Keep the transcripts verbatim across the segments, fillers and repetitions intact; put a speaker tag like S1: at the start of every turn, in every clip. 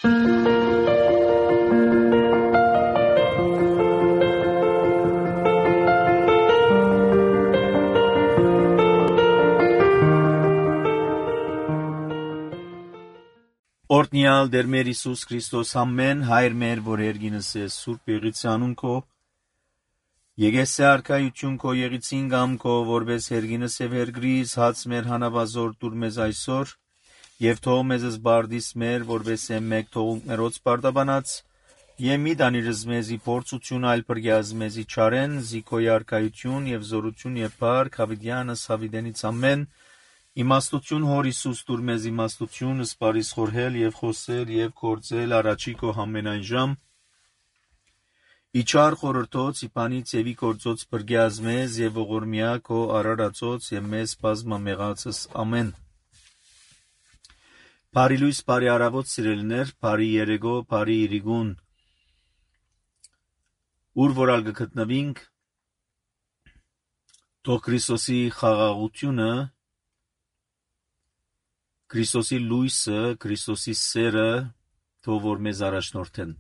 S1: Օրհնյալ Տեր մեր Հիսուս Քրիստոս ամեն հայր մեր, որ երգինս ես Սուրբ Եղիցյանուն քո, եկես է արքայություն քո եղիցին գամ քո, որպես երգինս եւ երգրիս հաց մեր հանավազոր դուր մեզ այսօր, եւ թող մեզս բարդիս մեր, որպես է մեկ թողունքներոց բարդաբանած, եւ մի դանիրս մեզի փորձություն այլ բրգյազ մեզի չարեն, զիքոյ արքայություն եւ զորություն եւ փառք հավիդյանս հավիդենից ամեն. Իմաստություն հոր Հիսուս դուր մեզ իմաստություն, սպարիս խորհել եւ խոսել եւ գործել առաջի քո ամենայն ժամ, իչար խորհրդոց իպանից եւի գործոց բրգյազ մեզ եւ ողորմյա քո արարածոց եւ մեզ բազմամեղածս ամեն. Բարի լույս, բարի արավոտ սիրելիներ, բարի երեգո, բարի իրիգուն, ուր որ ալ գտնվինք, թող Քրիստոսի խաղաղությունը, Քրիստոսի լույսը, Քրիստոսի սերը, թող որ մեզ առաջնորդեն.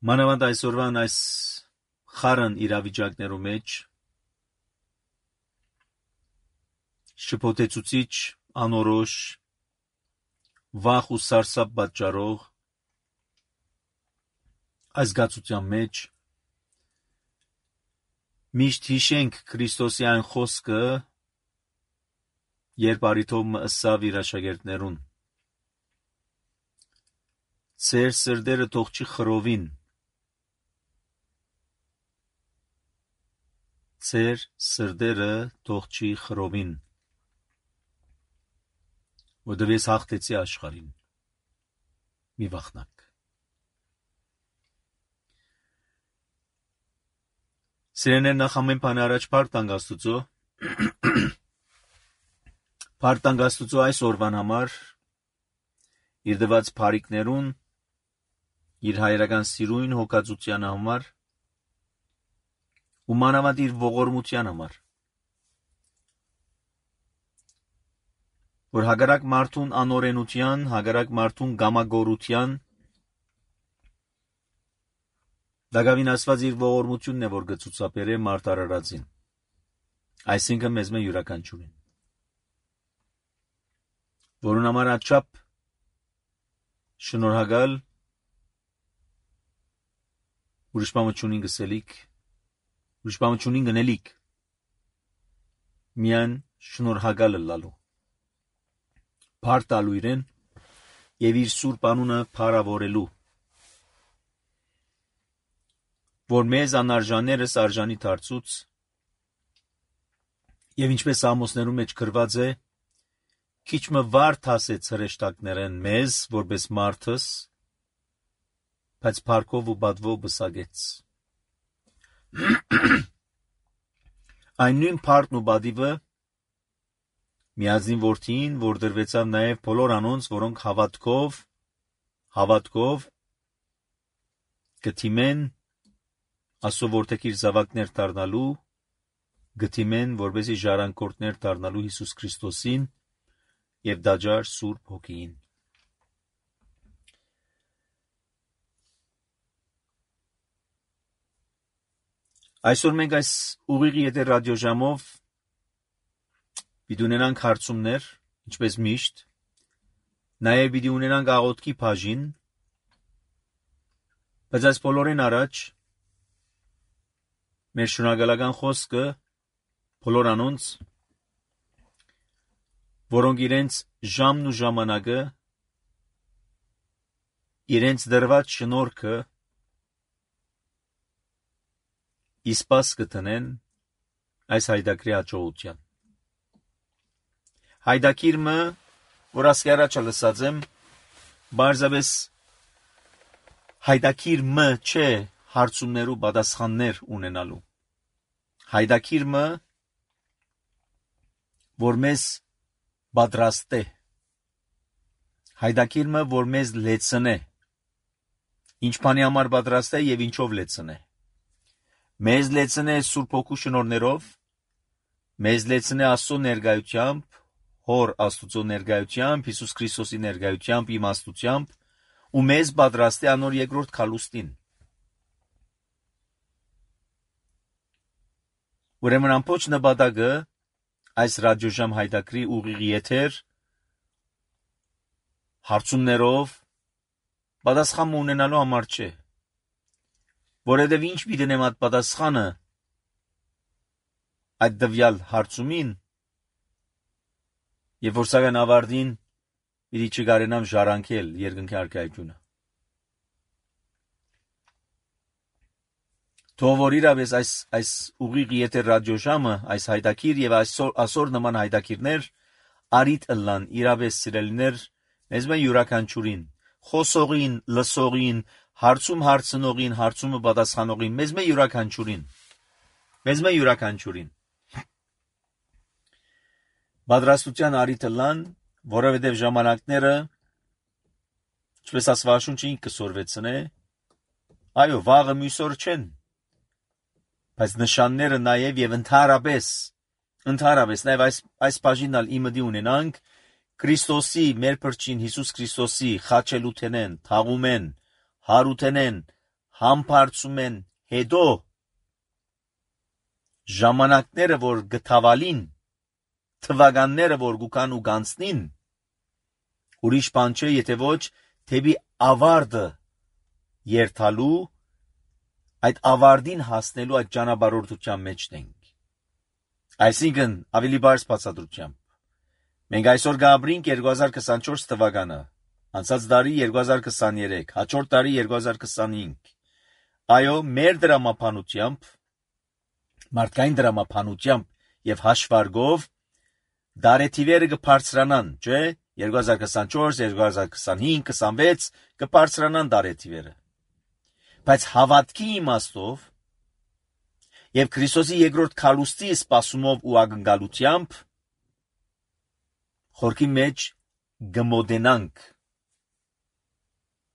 S1: Մանավանդ այսօրվան այս խառն իրավիճակներու մեջ շփոթեցուցիչ, անորոշ, վախ ու սարսափ պատճառող այս զգացության մեջ միշտ հիշենք Քրիստոսի այն խոսքը, երբ արիթով մը ըսավ իր աշակերտներուն. Ձեր սրտերը թող չի խռովին, ձեր սրտերը թող չի խռովին, որովհետև ես հաղթեցի աշխարհին, մի վախնակ. Սիրելիներ, նախ ամեն բան առաջ փառք տանք Աստուծո, փառք տանք Աստուծո այս օրվան համար, իր տված բարիքներուն, իր հայրական սիրույն հոգածության համար, ու մանավանդ իր ողորմության համար, որ հակառակ մարդուն անօրենության, հակառակ մարդուն գամագորության, Դագավին ասված իր ողորմությունն է, որ գծուցապեր է մարդ արարածին, այսինքն մեզ մե յուրաքանչյուրին, որուն համար աչապ շնորհակալ, ուրիշ բան չունին գսելիք, ուրիշ բան չունին գնելիք, միայն շնորհակալ լալու, փառք տալու իրեն եւ իր սուրբ անունը փառավորելու, որ մեզ անարժաններս արժանի դարձուց, եւ ինչպես Ամոսներում մեջ գրված է, քիչ մը վարդ հասեց հրեշտակներեն մեզ, որպես մարդս, բայց փառքով ու բադվով բսագեց. Այն նույն փառքն ու բադիվը միածին որդին, որ դրվեցավ նաեւ բոլոր անոնց, որոնք հավատքով, հավատքով գթիմեն Աստծո որդեքիր զավակներ դառնալու, գթիմեն, որպեսզի ժառանգորդներ դառնալու Հիսուս Քրիստոսին եւ դաջար Սուրբ Հոգին. Այսօր մենք այս ուղիղի եթեր ռադիոժամով պիտի ունենանք հարցումներ, ինչպես միշտ, նաեւ պիտի ունենանք աղոթքի բաժին, բայց այս բոլորին առաջ մեր շնորհակալական խոսքը բոլոր անոնց, որոնք իրենց ժամն ու ժամանակը, իրենց դրված շնորհքը իսպաս կտնեն այս հայդակրի հաջողության. Հայդակիրը, որ ասկի առաջ լսած եմ, բարձրապես հայդակիրը չէ հարցումներու պատասխաններ ունենալու. Հայդակիրը, որ մեզ պատրաստ է, հայդակիրը, որ մեզ լեցն է, ինչ բանի համար պատրաստ է եւ ինչով լեցն է, մեզ լեցն է Սուրբ Հոգու շնորհներով, մեզ լեցն է Աստծո ներկայությամբ, Հոր Աստուծո ներկայությամբ, Հիսուս Քրիստոսի ներկայությամբ, իմաստությամբ ու մեզ պատրաստ է անոր երկրորդ քալուստին։ Ուրեմն ամբողջ նպատակը այս ռադիոժամ հայտակրի ուղիղ եթեր հարցումներով պատասխան ունենալու համար չէ, որովհետև ինչ պիտի այդ պատասխանը այդ դվյալ հարցումին, եւ որ սակայն ավարտին պիտի չկարենամ ժառանգել երկնքի արքայությունը։ Թող որ իրավես այս այս ուղիղ եթեր ռադիոժամը, այս հայտակիր եւ այսօր այսօր նման հայտակիրներ արիտ ըլլան իրավես սիրելիներ, մեզ մեն յուրաքանչյուրին, խոսողին, լսողին, հարցում հարցնողին, հարցումը պատասխանողին, մեզ մեն յուրաքանչյուրին, մեզ մեն յուրաքանչյուրին։ Պատրաստության արիտ ըլլան, որովհետեւ ժամանակները, ինչպես Աստվածաշունչը ինքը կսորվեցնե, այո, վաղը մյուսօր չեն, բայց նշանները նաև եւ ընդհանրապես, ընդհանրապես նաև այս այս բաժինալ իմդի ունենանք Քրիստոսի մեր փրկին Հիսուս Քրիստոսի խաչելութենեն, թաղումեն, հարութենեն, համբարձումեն հետո ժամանակները որ գթավալին, թվականները որ գուքան ու գանցնին, ուրիշ բան չէ, եթե ոչ թեպի ավարտը երթալու, այդ ավարտին հասնելու այդ ճանապարհորդության մեջ ենք։ Այսինքն ավելի բարձ բացատրությամբ մենք այսօր գաբրինք երկու հազար քսանչորս թվականը, անցած տարի երկու հազար քսաներեք, հաջորդ տարի երկու հազար քսանհինգ։ Այո, մեր դրամապանությամբ, մարդկային դրամապանությամբ եւ հաշվարկով դարեթիվերը կբարձրանան, չէ՞, երկու հազար քսանչորս, երկու հազար քսանհինգ, քսանվեց կբարձրանան դարեթիվերը։ Բայց հավատքի իմաստով եւ Քրիստոսի երկրորդ քալուստի սպասումով ու ակնկալությամբ խորքի մեջ գմոդենանք,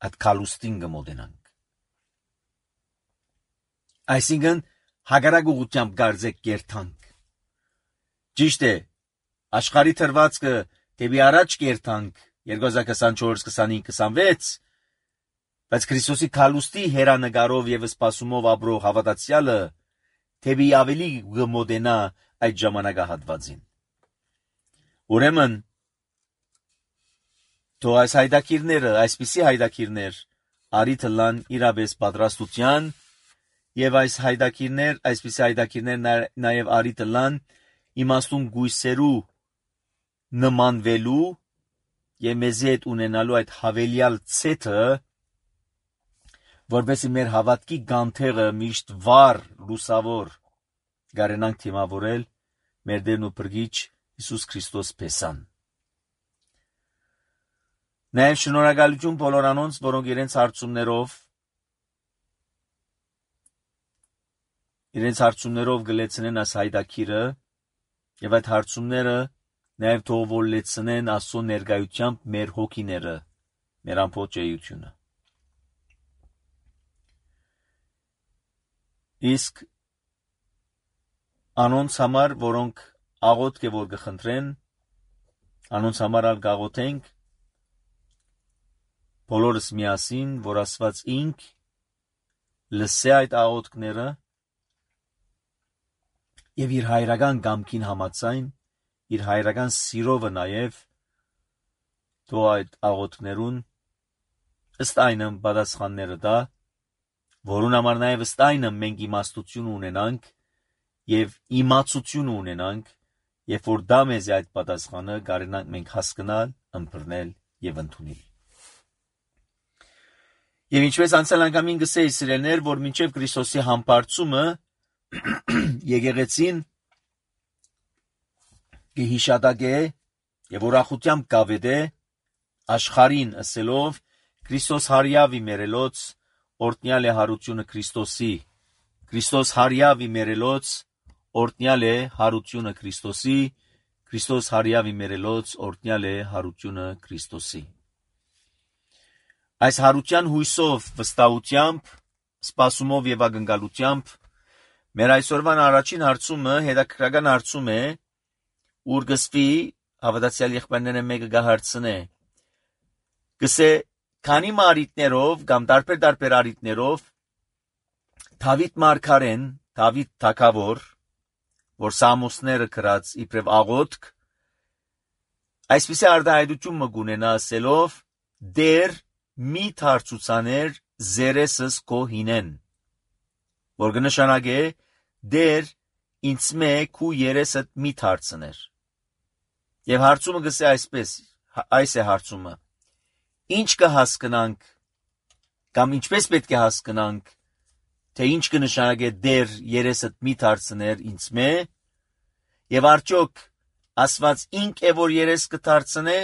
S1: այդ քալուստին գմոդենանք։ Այսինքն հագարակ ուղղությամբ գարձեք կերտանք։ Ճիշտ է, աշխարհի թրվածքը դեպի առաջ կերտանք երկու հազար քսանչորս, քսանհինգ, քսանվեց, բայց Քրիստոսի քալուստի հերանեկարով եւ սպասումով ապրող հավատացյալը թեպի ավելի գմոդենա այդ ժամանակահատվածին։ Ուրեմն թող այս հայտակիրները, այսպիսի հայտակիրներ արիթ ըլլան իրապես պատրաստության եւ այս հայտակիրներ, այսպիսի հայտակիրներ նաեւ արիթ ըլլան իմաստուն գույսերու նմանվելու եւ մեզի հետ ունենալու այդ հավելյալ ցեթը, որովհետեւ մեր հավատքի գանթերը միշտ վառ, լուսավոր գարենանք թիմավորել մեր Տերն ու Փրկիչ Հիսուս Քրիստոս փեսան։ Նաև շնորհակալություն բոլոր անոնց, որոնք իրենց հարցումներով իրենց հարցումներով գլեցնեն այս հայտակիրը եւ այդ հարցումները նաև թող որ լեցնեն Աստծո ներկայությամբ մեր հոգիները, մեր ամբողջ էությունը։ Իսկ անոնց համար, որոնք աղոթք է որ կխնդրեն, անոնց համար ալ գաղոթենք, բոլորս միասին, որ Աստված ինք լսե այդ աղոթքները եւ իր հայրական կամքին համաձայն, իր հայրական սիրովը նաեւ թող այդ աղոթքներուն ըստ այնմ պատասխանները տա, որուն համար նաեւ ըստ այնմ մենք իմաստություն ունենանք եւ իմացություն ունենանք, երբ որ դա մեզ այդ պատասխանը կարենանք մենք հասկանալ, ըմբռնել եւ ընդունել։ Եվ ինչպես անցյալ անգամին գսեի սիրելներ, որ մինչև Քրիստոսի համբարձումը եկեղեցին կհիշատակե եւ ուրախությամբ կավետե աշխարհին ասելով Քրիստոս հարյավի մերելոց օրտնյալ է հարությունը Քրիստոսի, Քրիստոս հարյավի մերելոց օրտնյալ է հարությունը Քրիստոսի, Քրիստոս հարյավի մերելոց օրտնյալ է հարությունը Քրիստոսի։ Այս հարության հույսով, վստահությամբ, սպասումով եւ ակնկալությամբ մեր այսօրվան առաջին հարցումը հետաքրքրական հարցում է, ուր գսվի հավատացյալ եղբայրները մեկը գահարցնե գսե քանի մարիտներով կամ տարբեր-տարբեր արիտներով Դավիթ մարգարեն, Դավիթ թագավոր, որ Սամոսները գրած իբրև աղոթք, այսպիսի արտահայտություն մը գունենա ասելով դեր մի թարցուցաներ զերեսս քո հինեն, որ կնշանակե դեր ինձ մե քու երեսդ մի թարցներ։ Եվ հարցումը գսե այսպես, այս է հարցումը. ինչ կհասկանանք կամ ինչպես պետք է հասկանանք, թե ինչ կնշանակե դեր երեսդ մի թարցներ ինձ մե, եւ արդյոք Աստված ինք է, որ երես կթարցնե,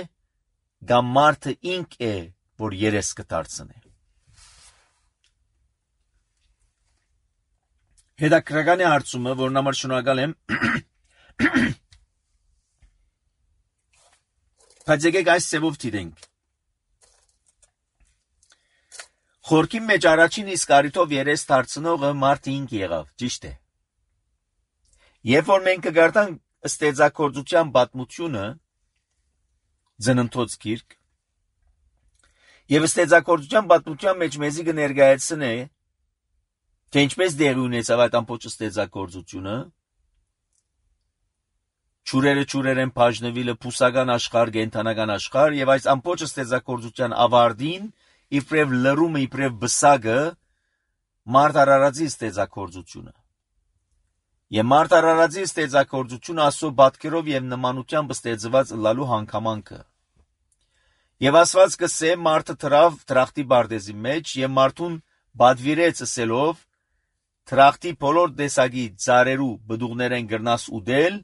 S1: կամ մարդը ինք է, որ երես կթարցնե։ Հետաքրքրական է հարցումը, որն համար շնորհակալ եմ։ Բայց եկեք այս ծևով դիտենք։ Խորքի մեջ առաջին իսկ առիթով երես թարցնողը մարդը ինք եղավ, ճիշտ է։ Երբ որ մենք կգարտանք ստեղծագործության պատմությունը, Ծննդոց գիրք, եւ ստեղծագործության պատմության մեջ մեզի կներկայացնե, թե ինչպես դեղի ունեցավ այդ ամբողջ ստեղծագործությունը, ճուրերը ճուրեր են բաժնվիլը փուսական աշխարհ, կենդանական աշխարհ, եւ այս ամբողջ ստեղծագործության ավարտին իբրև լրումը, իբրև բսակը մարդ արարածի ստեղծագործությունը։ Եվ մարդ արարածի ստեղծագործությունը Աստծո պատկերով եւ նմանությամբ ստեղծված լալու հանգամանքը։ Եվ Աստված կսե մարդը թրավ թրախտի բարձի մեջ եւ մարդուն բադվիրեց ասելով թրախտի բոլոր տեսակի ծառերու բդուղներեն գրնաս ուդել,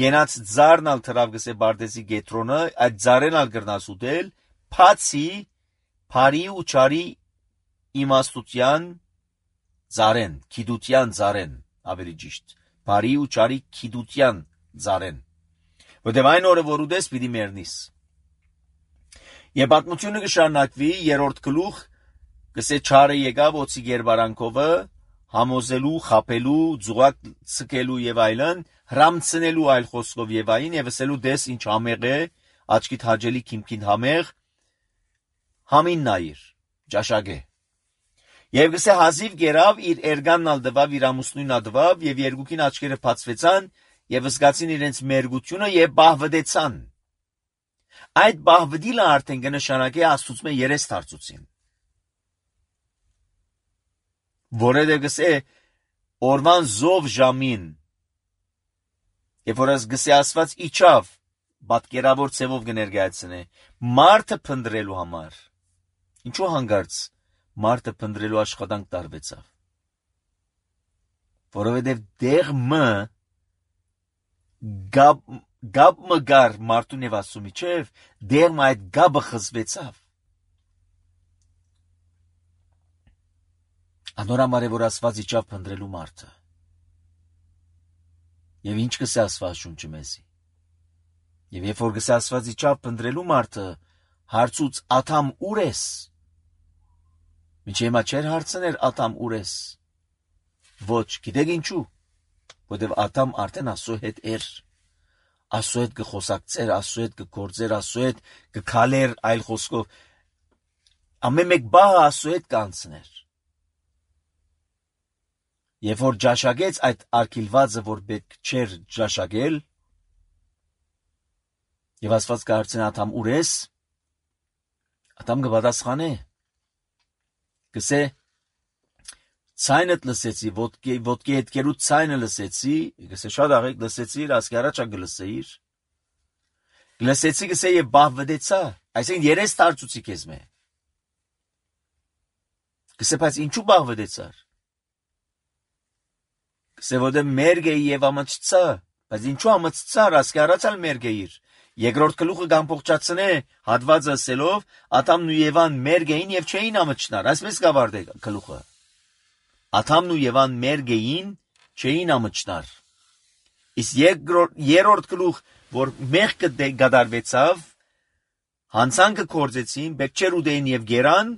S1: գենաց ծառնալ թրավ գսե բարձի գետրոնը, այդ ծառեն ալ գրնաս ուդել, փացի Փարի ու չարի իմաստության ծառեն, քիդության ծառեն, ավելի ճիշտ, Փարի ու չարի քիդության ծառեն, որտեղ այն օրը որ ուդես պիտի մեռնիս։ Եվ պատմությունը կշարունակվի երրորդ գլուխ, կսե չարը եկավ օծի գերբարանքովը, համոզելու, խապելու, ձուղակ ցկելու եւ այլն, հրամցնելու այլ խոսքով եւ այն եւ ասելու դես ինչ համեղ է, աչքիդ հաջելի քիմքին համեղ, համին նայիր, ճաշակե։ Եվ գսե հազիվ գերավ իր էրգանն ալ դվավ, իր ամուսնույն ադվավ եւ երկուքին աչքերը բացվեցան եւ զգացին իրենց մերգությունը եւ բահվդեցան։ Այդ բահվդիլը արդեն կնշանակե Աստծուց մե երես թարցուցին։ Որեդե գսե օրվան զով ժամին, երբ որ գսե Աստված իջավ, պատկերավոր ցևով կներկայացնե, մարդը փնտրելու համար։ Ինչու հանգարց մարդը փնտրելու աշխատանք տարվեցավ։ Որովհետև դեղ մը գապ գապ մգար մարդուն եւ Աստծո միջև, դեղ մը այդ գաբը խզվեցավ։ Անորամար է որ Աստված իջավ փնտրելու մարդը։ Եվ ինչ կսե Աստված շունչը մեզի։ Եվ երբ որ գսե Աստված իջավ փնտրելու մարդը, հարցուց աթամ ուր ես։ Մինչ հիմա չէր հարցներ աթամ ուր ես։ Ոչ, գիտեք ինչու։ Որտեվ աթամ արդեն Աստծո հետ էր։ Աստծո հետ կխոսակցեր, Աստծո հետ կգործեր, Աստծո հետ կքալեր, այլ խոսքով ամեն մեկ բահը Աստծո հետ կանցներ։ Եվ որ ճաշակեց այդ արգիլվածը, որ պետք չէր ճաշակել, եւ Աստված կհարցնի աթամ ուր ես, աթամ կպատասխանե, կսե ցայնդ լսեցի, ոտքի ոտքի հետքերու ցայնը լսեցի, կսե շատ աղեք լսեցիր, ասկի առաջա գլսեիր, լսեցի կսե եւ բահվդեցա, այսինքն երես թարցուցի քեզ մե, կսե բայց ինչու բահվդեցար, կսե որտե մերգ էի եւ ամծծա, բայց ինչու ամծծար, ասկի առաջալ մերգ էիր, երկրորդ գլուխը կամփոխացնե հատվածը ասելով Աթամն ու Եվան մերգ էին եւ չէին ամճնար, այսպես կավարտե գլուխը։ Աթամն ու Եվան մերգ էին, չէին ամճնար։ Իսկ երկրորդ երրորդ գլուխ, որ մեղքը գդարվեցավ, հանցանքը կործեցին, բեկչեր ուդեին եւ գերան,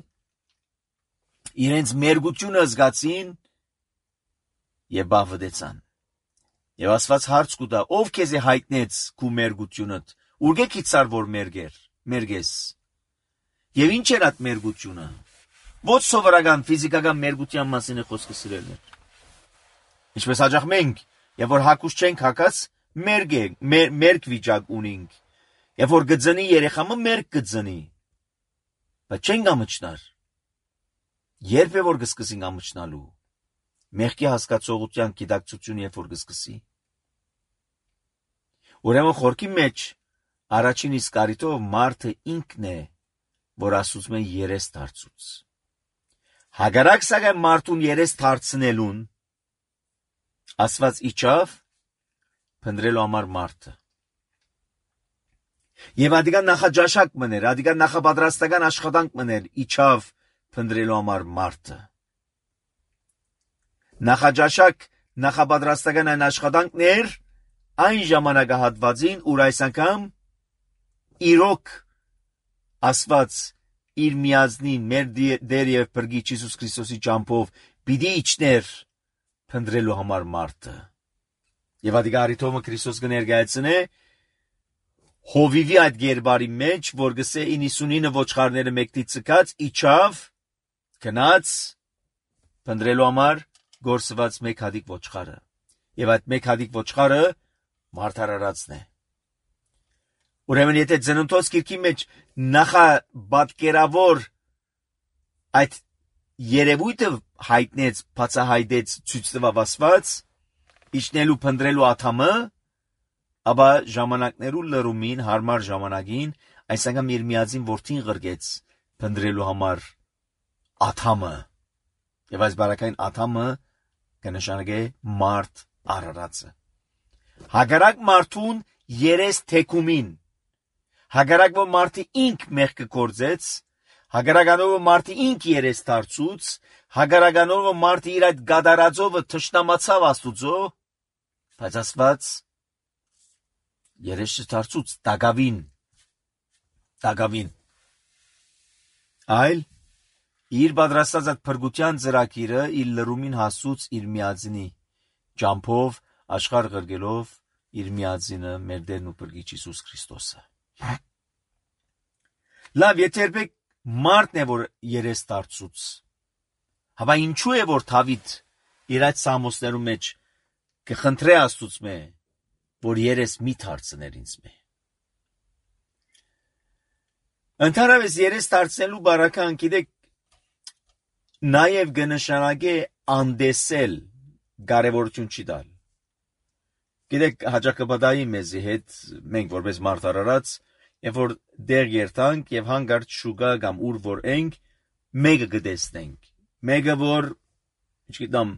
S1: իրենց մերգությունը զգացին եւ բավդեցան։ Եվ Աստված հարց կուտա. ով քեզ է հայտնեց քու մերգությունդ, ուր գիցար որ մերգեր, մերգես։ Եվ ինչ էր այդ մերգությունը։ Ոչ սովորական ֆիզիկական մերգության մասին է խոսքը սիրելներ։ Ինչպես հաջող մենք, եւ որ հակուս չենք հակած, մերգ է, մերգ վիճակ ունենք։ Եվ որ գծնի երեխամը մերգ գծնի։ Բայց չենք ամճնար։ Երբ է որ կսկսենք ամճնալու։ Մեղքի հասկացողության գիտակցություն երբ որ կսկսի։ Ուրեմն խորքի մեջ առաջին իսկ առիթով մարդը ինքն է, որ ասում է երես դարձուց։ Հագարակ սակայն մարդուն երես դարձնելուն Աստված իջավ փնտրելու համար մարդը։ Եվ ադիգա նախաճաշակ մներ, ադիգա նախապատրաստական աշխատանք մներ, իջավ փնտրելու համար մարդը։ Նախաճաշակ նախապատրաստական այն աշխատանքներ այն ժամանակահատվածին, ուր այս անգամ իրոք Աստված իր միածնին մեր Տեր եւ Փրկիչ Հիսուս Քրիստոսի ճամփով պիտի իջներ փնտրելու համար մարդը։ Եվ ադիգա արիթոմը Քրիստոս կներկայացնե հովիվի այդ գերբարի մեջ, որ գսե իննսունինը ոչխարները մեկտի ցկած իջավ գնաց փնտրելու համար գործված մեկ հատիկ ոչխարը։ Եվ այդ մեկ հատիկ ոչխարը մարդարարածն է։ Ուրեմն եթե ծննդոց գիրքի մեջ նախաբատկերավոր այդ երևույթը հայտնեց, բացահայտեց, ցույց տվավ Աստված, իջնելու փնտրելու աթամը, ապա ժամանակներու լրումին, հարմար ժամանակին, այս անգամ իր միածին որդին ղրգեց փնտրելու համար աթամը։ Եվ այս բարակային աթամը կնշանակե մարդ արարածը։ Հագարակ մարդուն երես թեկումին, հագարակ որ մարդը ինք մեղքը կործեց, հագարականով որ մարդը ինք երես դարձուց, հագարականով որ մարդը իր այդ գադարածովը թշնամացավ Աստուծո, բայց Աստված երես չդարձուց տագավին, տագավին, այլ իր պատրաստած այդ փրկության ծրագիրը իր լրումին հասուց իր միածինի ճամփով աշխարհ ղրգելով իր միածինը մեր Տերն ու Փրկիչ Հիսուս Քրիստոսը։ Լավ, եթե երբեք մարդն է որ երես դարձուց, հավա ինչու է որ Դավիթ իր այդ սամոսներու մեջ կխնդրե Աստուծո մե որ երես մի դարձներ ինձ մե։ Ընդհանրապես երես դարձնելու բարական գիտեք նաև կնշանակե անդեսել կարևորություն չի տալ։ Գիտեք հաջակապատայի մեզի հետ մենք որպես մարդ արարած երբ որ դեր երթանք եւ հանգարտ շուգա կամ ուր որ ենք մեկը գտեսնենք մեկը որ չգիտեմ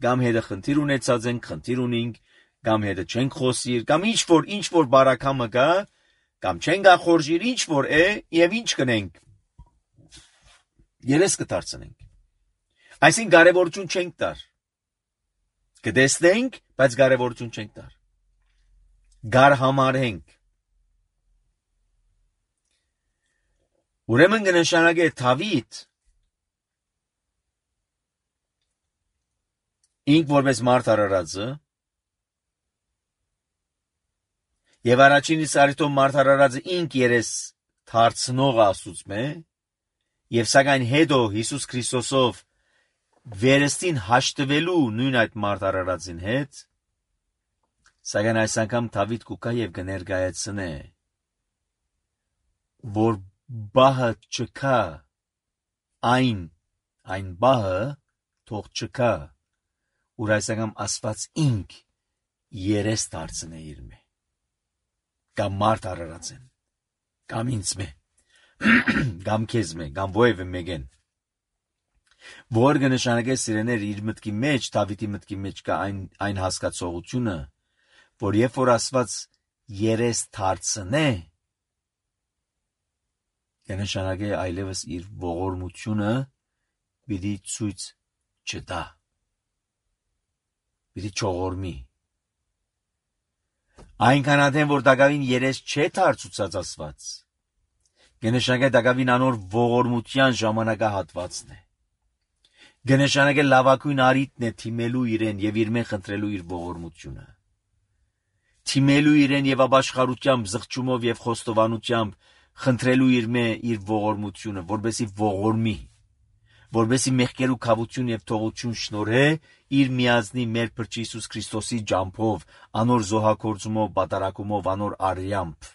S1: կամ հետը խնդիր ունեցած ենք խնդիր ունենք կամ հետը չենք խոսիր կամ ինչ որ ինչ որ բարակամը կա կամ չենք ախորժիր ինչ որ է եւ ինչ կնենք երես կդարձնենք այսին կարևորություն չենք տար կտեսնենք բայց կարևորություն չենք տար գար համարենք ուրեմն կնշանակե Դավիթ ինք որպես մարդ արարածը եւ առաջին իսկ արիթով մարդ արարածը ինք երես դարձնող Աստուծո եւ սակայն հետո Հիսուս Քրիստոսով վերստին հաշտվելու նույն այդ մարդ արարածին հետ սակայն այս անգամ Դավիթ կուկա եւ կներկայացնե որ բահը չկա այն այն բահը թող չկա ուր այս անգամ Աստված ինք երես դարձնե իր մե կամ մարդ արարածեն կամ ինձ մե կամ քեզ մե կամ ովևէ մեկեն որ կնշանակե սիրեներ իր մտքի մեջ Դավիթի մտքի մեջ կա այն այն հասկացողությունը որ երբ որ Աստված երես դարձնե կնշանակե այլևս իր ողորմությունը պիտի ցույց չտա պիտի չողորմի այնքան ադեն որ դակավին երես չէ դարձուցած Աստված կնշանակե դակավին անոր ողորմության ժամանակահատվածն է կնշանակե լավագույն արիտն է թիմելու իրեն եւ իր մեն խնդրելու իր ողորմությունը թիմելու իրեն եւ ապաշխարությամբ, զղջումով եւ խոստովանությամբ խնդրելու իր մե իր ողորմությունը, որբեսի ողորմի, որբեսի մեղքեր ու քավություն եւ թողություն շնորհե իր միածնի մեր փրկիչ Հիսուս Քրիստոսի ջամփով, անոր զոհակորձումով, բատարակումով, անոր արյամբ։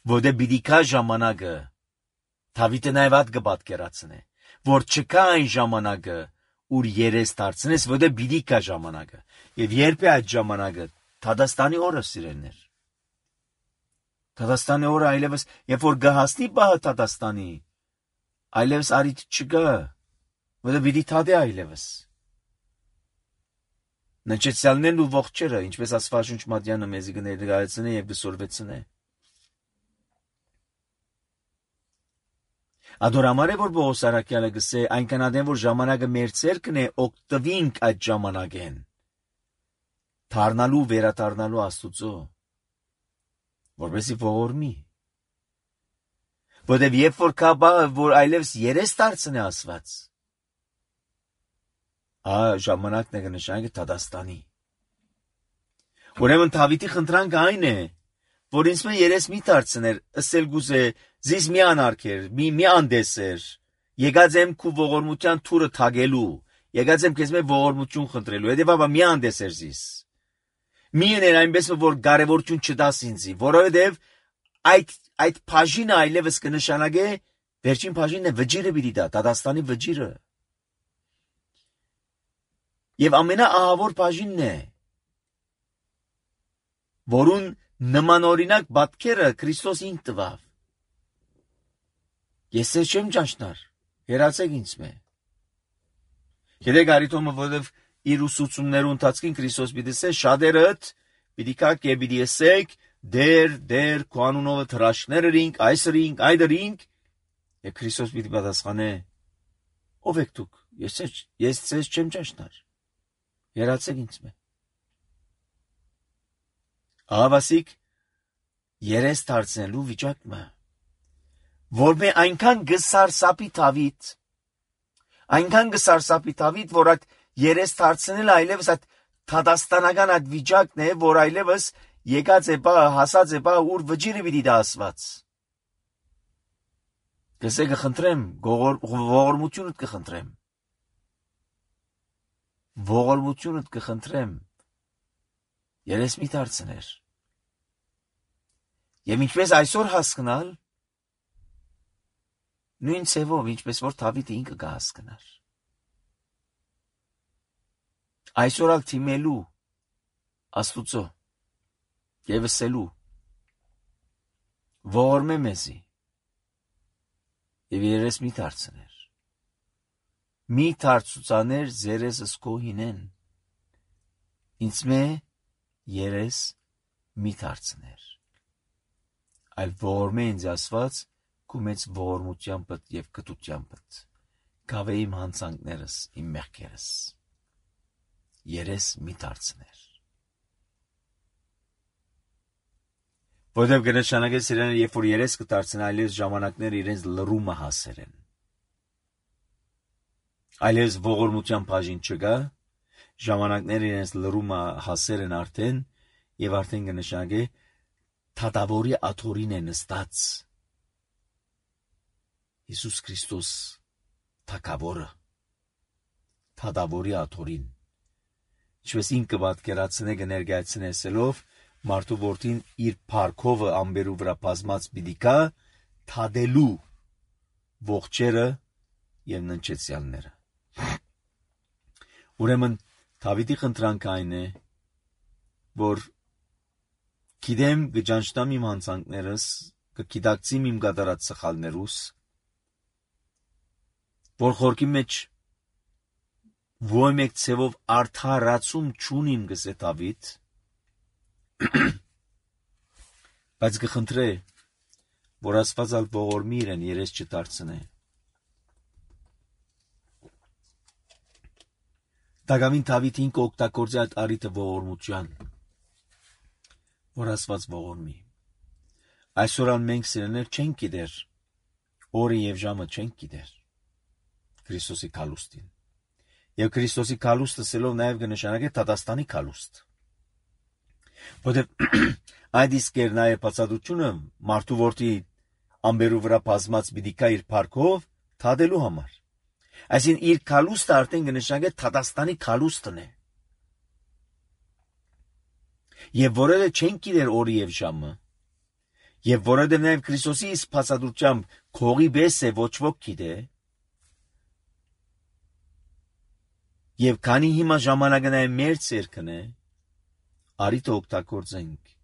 S1: Որտե բիդիկա ժամանակը Դավիթը նաև այդ կպատկերացնե, որ չկա այն ժամանակը, ուր երես դարձնես, որտե բիդիկա ժամանակը։ Եվ երբ է այդ ժամանակը, Թադաստանի օրը սիրելներ։ Թադաստանի օրը այլևս, երբ որ գահասնի բահը Թադաստանի, այլևս արիթ չկա, որտե պիտի թադե այլևս։ Նչեցյալներն ու ողջերը, ինչպես Աստվածաշունչ Մատյանը մեզի կներկայացնե եւ կսորվեցնե։ Ադորամար է, որ Պողոս առաքյալը գսե, այնքան ադեն, որ ժամանակը մեր ցերկն է, օգտվինք այդ ժամանակեն, թարնալու, վերաթարնալու Աստուծո, որպեսի ողորմի։ Որտեւ երբ որ կա բա, որ այլևս երես դարձնե Աստված, ա ժամանակն է կնշանակի Թադաստանի։ Ուրեմն Դավիթի խնդրանքը այն է, որ ինձ մե երես մի դարձներ, ըսել գուզե, զիս մի անարգեր, մի մի անդեսեր, եկած եմ քու ողորմության թուրը թագելու, եկած եմ քեզ մե ողորմություն խնդրելու, հետևաբար մի անդեսեր զիս։ Մի ուներ այնպես որ կարևորություն չտաս ինձի, որովհետև այդ այդ բաժինը այլևս կնշանակե վերջին բաժինն է վճիրը պիտի դա, Թադաստանի վճիրը։ Եվ ամենաահավոր բաժինն է, որուն նմանօրինակ պատկերը Քրիստոս ինք տվավ։ Ես ես չեմ ճանչնար, հերացեք ինձ մե։ Գիտեք արիտոմը, որով իր ուսուցումներու ընթացքին Քրիստոս պիտի ասե, շատերդ պիտի կակ եւ պիտի ասեք, դեր, դեր, քո անունով թրաշքներ ըրինք, այս ըրինք, այդ ըրինք, եւ Քրիստոս պիտի պատասխանե, ով եք դուք, ես ես ես չեմ ճանչնար, հերացեք ինձ մե։ Ահավասիկ երես դարձնելու վիճակը, որ մե այնքան գսարսապի Դավիթ, այնքան գսարսապի Դավիթ, որ այդ երես դարձնել այլևս այդ Թադաստանական այդ վիճակն է, որ այլևս եկած է բա, հասած է բա, ուր վճիրը պիտի դա ասված։ Գսե կխնդրեմ, ողորմությունդ կխնդրեմ, ողորմությունդ կխնդրեմ, երես մի դարձներ։ Եվ ինչպես այսօր հասկնալ, նույն ցևով, ինչպես որ Դավիթը ինքը կհասկնար։ Այսօր ալ թիմելու Աստուծո եւ ասելու ողորմե մեզի եւ երես մի դարձներ։ Մի դարձուցաներ զերեսս քո հինեն։ Ինձ մե երես մի դարձներ։ Այլ ողորմե ինձ ասված քու մեծ ողորմությամբ եւ կտությամբ կավե իմ հանցանքներս, իմ մեղքերս։ Երես մի դարձներ։ Որտեւ կնշանակե սիրելիներ, երբ որ երես կդարձնեն, այլևս ժամանակները իրենց լռումը հասեր են։ Այլևս ողորմության բաժին չկա, ժամանակները իրենց լռումը հասեր են արդեն, եւ արդեն կնշանակե Թադավորի աթորին է նստած Հիսուս Քրիստոս թագավորը, Թադավորի աթորին, ինչպես ինքը պատկերացնե կներկայացնե ասելով, մարդու որդին իր փառքովը ամբերու վրա բազմած պիտի կա թադելու ողջերը եւ ննչեցյալները։ Ուրեմն Դավիթի խնդրանքը այն է, որ գիտեմ գճանչտամ իմ հանցանքներս, կգիտակցիմ իմ կատարած սխալներուս, որ խորքի մեջ ոչ մեկ ցևով արդարացում չունիմ գսե Դավիթ, բայց կխնդրե, որ Աստված ալ ողորմի իրեն երես չդարձնե։ Դագամին Դավիթին կօգտագործի այդ առիթը ողորմության, որ Աստված ողորմի։ Այսօր ան մենք սիրելիներ չենք գիտեր, օրը եւ ժամը չենք գիտեր Քրիստոսի քալուստին։ Եվ Քրիստոսի քալուստը սելով նաև կնշանակե Թադաստանի քալուստ։ Որտեւ այդ իսկ էր նաև բացատրությունը մարդու որդի ամբերու վրա բազմած պիտի կա իր парքով թադելու համար։ Այսինքն իր քալուստը արդեն կնշանակե Թադաստանի քալուստն է։ Եվ որևէ չեն գիտեր օրը եւ ժամը, եւ որովհետեւ նաեւ Քրիստոսի իսկ բացատրությամբ քողի բես է ոչ ոք գիտե, եւ քանի հիմա ժամանակը նաեւ մեր ցերկն է, արիտ օգտագործենք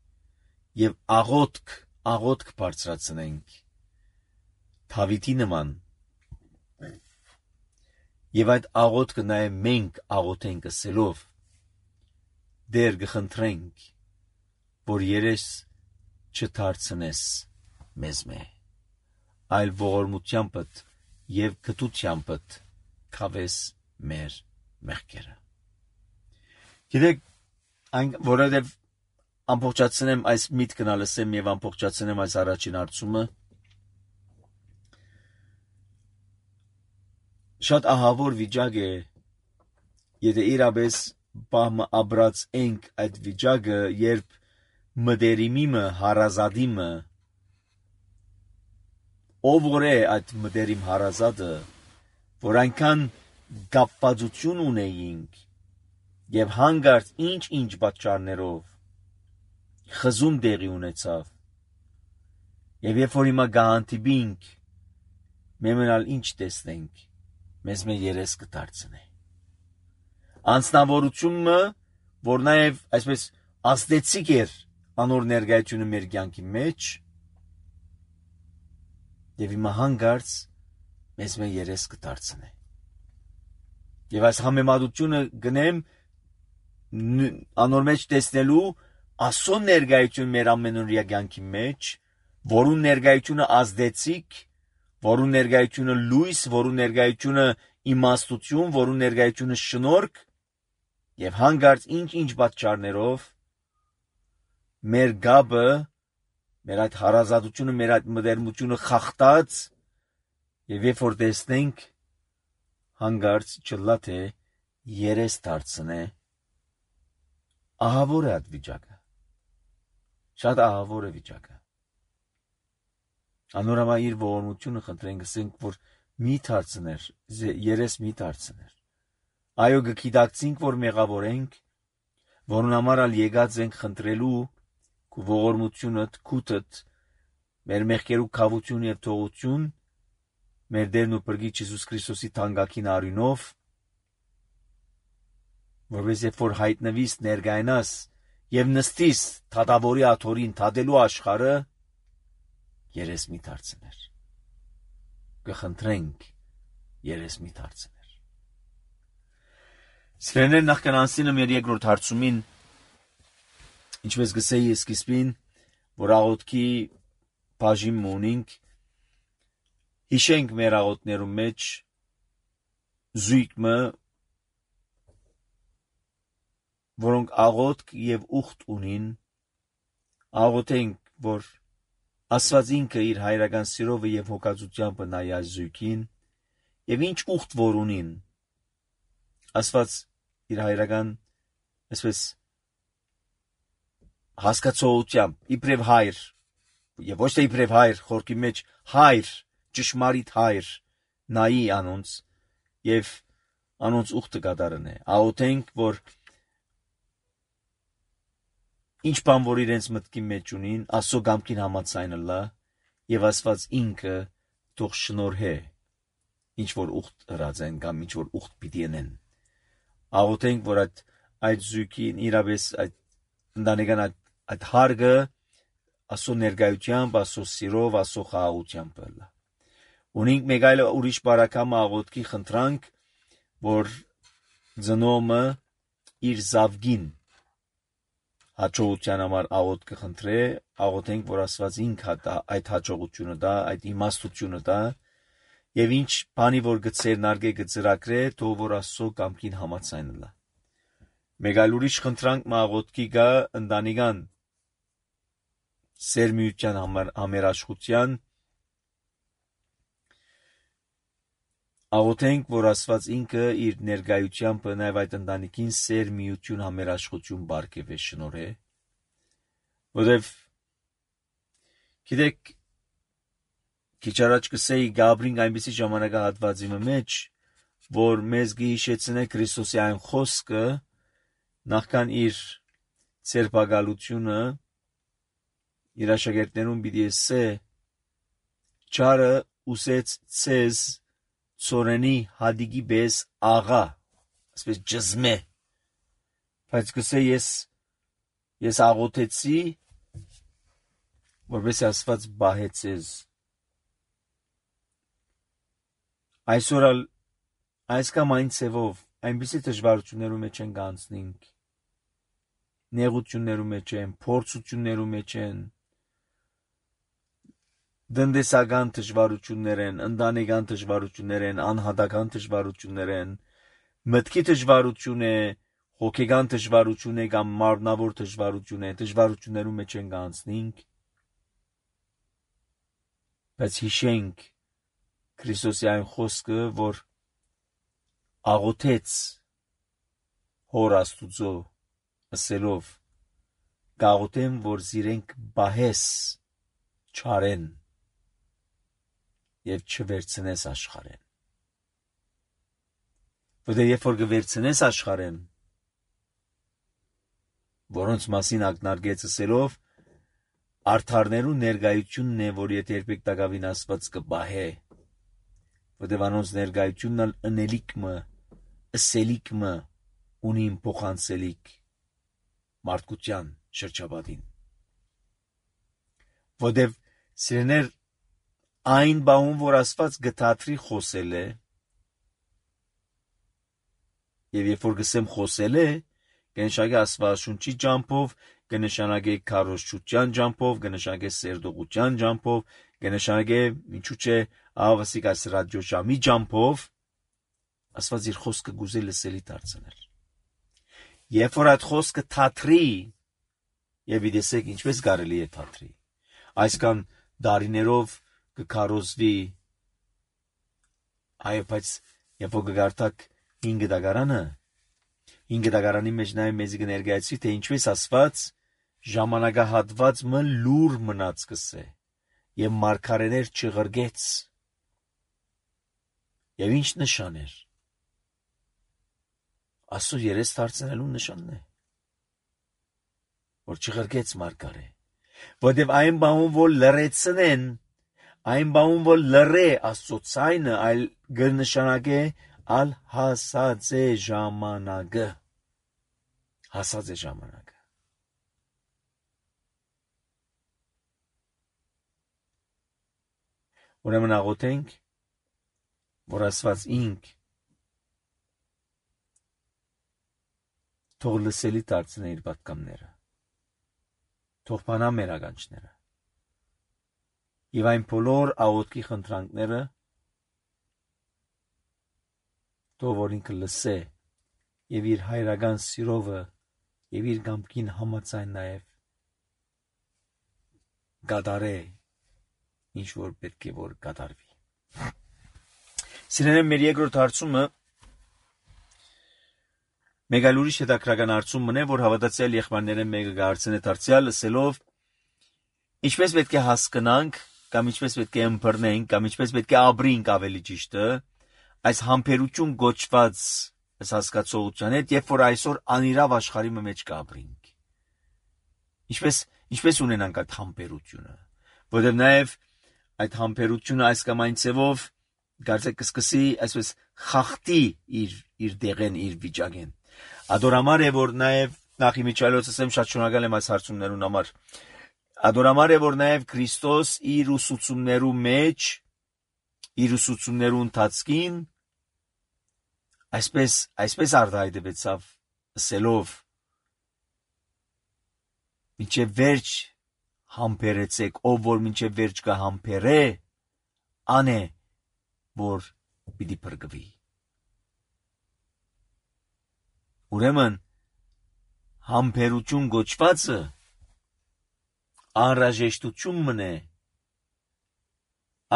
S1: եւ աղոթք, աղոթք բարձրացնենք Դավիթի նման։ Եվ այդ աղոթքը նաև մենք աղոթենք ասելով, դեր կխնդրենք, որ երես չդարձնես մեզ մե, այլ ողորմությանդ եւ գթությանդ քավես մեր մեղքերը։ Գիտեք, այն որովհետեւ ամբողջացնեմ այս միտքն ալսեմ եւ ամբողջացնեմ այս առաջին հարցումը, շատ ահավոր վիճակ է, եթե իրապես բահմը աբրած ենք այդ վիճակը, երբ մդերիմիմը, հարազադիմը, ով որ է այդ մդերիմ հարազադը, որ այնքան գապվածություն ունեինք եւ հանգարց ինչ-ինչ պատճառներով խզում տեղի ունեցավ, եւ երբ որ հիմա գահանտիբինք, մեմենալ ինչ տեսնենք, մեզ մե երես կդարձնե։ Անձնավորությունը, որ նաև այսպես ազդեցիկ էր անոր ներկայությունը մեր կյանքի մեջ, եւ հիմա հանգարց մեզ մե երես կդարձնե։ Եվ այս համեմատությունը գնեմ անոր մեջ տեսնելու ասոն ներկայություն մեր ամենօրյա կյանքի մեջ, որուն ներկայությունը ազդեցիկ, որուն ներկայությունը լույս, որուն ներկայությունը իմաստություն, որուն ներկայությունը շնորհք, եւ հանգարց ինչ-ինչ պատճառներով մեր գաբը, մեր այդ հարազատությունը, մեր այդ մտերմությունը խախտած, եւ երբ որ տեսնենք հանգարց չլա թե երես դարձնե, ահավոր է այդ վիճակը, շատ ահավոր է վիճակը։ Անորամա իր ողորմությունը խնդրենք, ասենք, որ մի դարձներ, երես մի դարձներ։ Այո, գիտակցինք, որ մեղավոր ենք, որուն համար ալ եկած ենք խնդրելու քու ողորմությունդ, քութդ, մեր մեղքերու քավություն եւ թողություն, մեր Տերն ու Փրկիչ Հիսուս Քրիստոսի թանկագին արյունով, որպես երբ որ հայտնվիս ներկայանաս եւ նստիս թադավորի աթորին թադելու աշխարհը, երես մի դարձներ։ Կխնդրենք երես մի դարձներ։ Սրեներ նախքան անցնեմ մեր երկրորդ հարցումին, ինչպես գսեի սկիզբին, որ աղոթքի բաժին ունենք, հիշենք մեր աղոթներու մեջ զույգը, որոնք աղոթք եւ ուխտ ունին, աղոթենք, որ Աստված ինքը իր հայրական սիրովը եւ հոգացությամբ նայ այս զույգին, եւ ինչ ուխտ որ ունին, Աստված իր հայրական, այսպես հասկացողությամբ, իբրև հայր, եւ ոչ թե իբրև հայր, խորքի մեջ հայր, ճշմարիտ հայր, նայի անոնց, եւ անոնց ուխտը կատարնե։ Աղոթենք, որ ինչ բան որ իրենց մտքի մեջ ունին, Աստծո կամքին համաձայնը լա, եւ Աստված ինքը թող շնորհե, ինչ որ ուխտ հրած են կամ ինչ որ ուխտ պիտի ենեն։ Աղոթենք, որ այդ այդ զույգին իրապես այդ ընտանեկան այդ, այդ հարգը Աստծո ներկայությամբ, Աստծո սիրով, Աստծո խաղաղությամբ լա։ Ունենք մեկ այլ ուրիշ բարակամ աղոթքի խնդրանք, որ ծնոմը իր զավգին հաջողության համար աղոթ կխնդրե, աղոթենք, որ Աստված ինքը այդ հաջողությունը տա, այդ իմաստությունը տա, եւ ինչ բանի որ գծեր նարգե գծրակրե, թող որ Աստծո կամքին համաձայն լա։ Մեկ այլ ուրիշ խնդրանք աղոթքի գա ընտանեկան սերմիության համերաշխության, աղոթենք, որ Աստված ինքը իր ներկայությամբ նաև այդ ընտանիքին սեր միություն համերաշխություն բարգեւե շնորհե, Որտեվ գիտեք քիչ առաջ կսեի Գաբրին այնպիսի ժամանակահատվածի մեջ, որ մեզ գիշեցնե Քրիստոսի այն խոսքը նախքան իր ցերպակալությունը իր աշակերտներուն պիտի ասե չարը ուսեց ցեզ ծորենի հադիգի բես աղա ասես ջզմե բայց կսե ես ես աղոթեցի որպես Աստված բահեցես այսօր այս կամ այն ցևով այնպիսի դժվարություններու մեջ են գանցնենք նեղություններու մեջ են փորձություններու մեջ են դնդեսական դժվարություններ են ընտանեկան դժվարություններ են անհատական դժվարություններ են մտքի դժվարություն է հոգեգան դժվարություն է կամ մարմնավոր դժվարություն է դժվարություններու մեջ են գանցնենք բայց հիշենք Քրիստոսի այն խոսքը, որ աղոթեց հոր Աստուծո ասելով գաղութեմ, որ զիրենք բահես չարեն և չվերցնես աշխարեն։ Որտեղ երբ որ կվերցնես աշխարեն, որոնց մասին ակնարկեց ասելով, արդարներու ներկայությունն է, որ եթե երբեք տակավին Աստված կբահե, որտեղ անոնց ներկայությունն ընելիք մը, ըսելիք մը, ունին փոխանցելիք մարդկության շրջապատին։ Որտեղ սիրեներ այն բաուն, որ Աստված գտածրի խոսել է, եւ երբ որ գսեմ խոսել է, կնշանակե Աստվածաշունչի ջամփով, կնշանակե քարոզչության ջամփով, կնշանակե սերդողության ջամփով, կնշանակե ինչու՞ չէ աղասիկ այս ռադիոժամի ջամփով Աստված իր խոսքը գուզել լսելի դարձնել։ Երբ որ այդ խոսքը թատրի, եւ իդեսեք ինչպես կարելի է թատրի, այսքան դարիներով կքարոզվի, այո, բայց երբ որ կգարտակ հինգ դագարանը, հինգ դագարանի մեջ նաև մեզ կներկայացվի, թե ինչպես Աստված ժամանակահատված մը լուր մնաց կսե, եւ մարգարեներ չղրգեց, եւ ինչ նշան էր, Աստծո երես դարձնելու նշանն է, որ չղրգեց մարգարե, որտեւ այն բանուն, որ լրեցնեն, այն բանուն, որ լրե Աստծո ցայնը, այլ կնշանակե ալ հասած է ժամանակը, հասած է ժամանակը։ Ուրեմն աղոթենք, որ Աստված ինք թող լսելի դարձնե իր պատգամները, թող բանա մեր ականջները, եւ այն բոլոր աղոթքի խնդրանքները թող որ ինքը լսե եւ իր հայրական սիրովը եւ իր կամքին համաձայն նաեւ գադարե ինչ որ պետք է որ գադարվի։ Սիրելիներ, մեր երկրորդ հարցումը մեկ այլ ուրիշ հետաքրական հարցում մնե, որ հավատացյալ եղբայրները մեկը կհարցնե դարձյալ լսելով ինչպես պետք է հասկանանք կամ ինչպես պետք է ըմբռնենք կամ ինչպես պետք է ապրենք ավելի ճիշտը այս համբերություն գոչված այս հասկացողության հետ, երբ որ այսօր անիրավ աշխարհի մեջ կապրենք։ Ինչպես ինչպես ունենանք այդ համբերությունը, որովհետև նաև այդ համբերությունը այս կամ այն ցևով կարծեք կսկսի այսպես խախտի իր իր դեղեն իր վիճակեն։ Ադորամար է որ նաև նախ իմիջիալոց ասեմ շատ շնորհակալ եմ այս հարցումներուն համար։ Ադորամար է որ նաև Քրիստոս իր ուսուցումներու մեջ իր ուսուցումներու ընթացքին այսպես այսպես արտահայտվեցավ ասելով մինչև վերջ համբերեցեք, ով որ մինչև վերջ կհամբերե, անե որ պիտի փրկվի։ Ուրեմն համբերություն գոչվածը անհրաժեշտություն մնե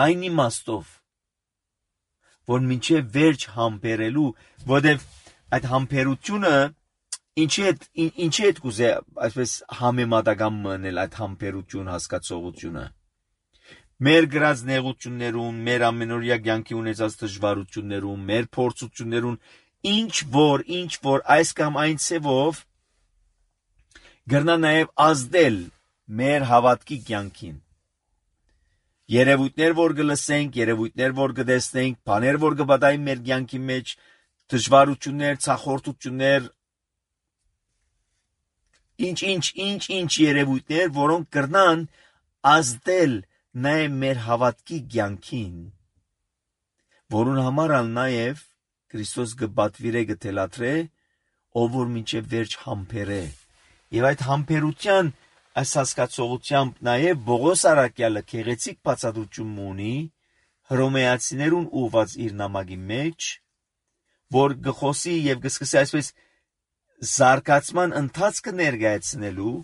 S1: այն իմաստով, որ մինչև վերջ համբերելու, որովհետև այդ համբերությունը Ինչի հետ ինչի հետ կուզե այսպես համեմատական մնել այդ համբերություն հասկացողությունը։ Մեր գրած նեղություններուն, մեր ամենօրյա կյանքի ունեցած դժվարություններուն, մեր փորձություններուն, ինչ որ, ինչ որ այս կամ այն ցևով գրնա նաև ազդել մեր հավատքի կյանքին։ Երևույթներ, որ գլսենք, երևույթներ, որ գտեսնենք, բաներ, որ գբադային մեր կյանքի մեջ, դժվարություններ, ցախորտություններ, ինչ ինչ ինչ ինչ երևույթներ, որոնք կրնան ազդել նաև մեր հավատքի կյանքին, որուն համար ալ նաև Քրիստոս գբատվիրե գտելատրե, ով որ մինչև վերջ համբերե։ Եվ այդ համբերության այս հասկացողությամբ նաև Պողոս առաքյալը քեղեցիկ բացատրություն ունի հռոմեացիներուն ուղված իր նամակի մեջ, որ գխոսի եւ գսկսի այսպես զարգացման ընթացքը ներկայացնելու,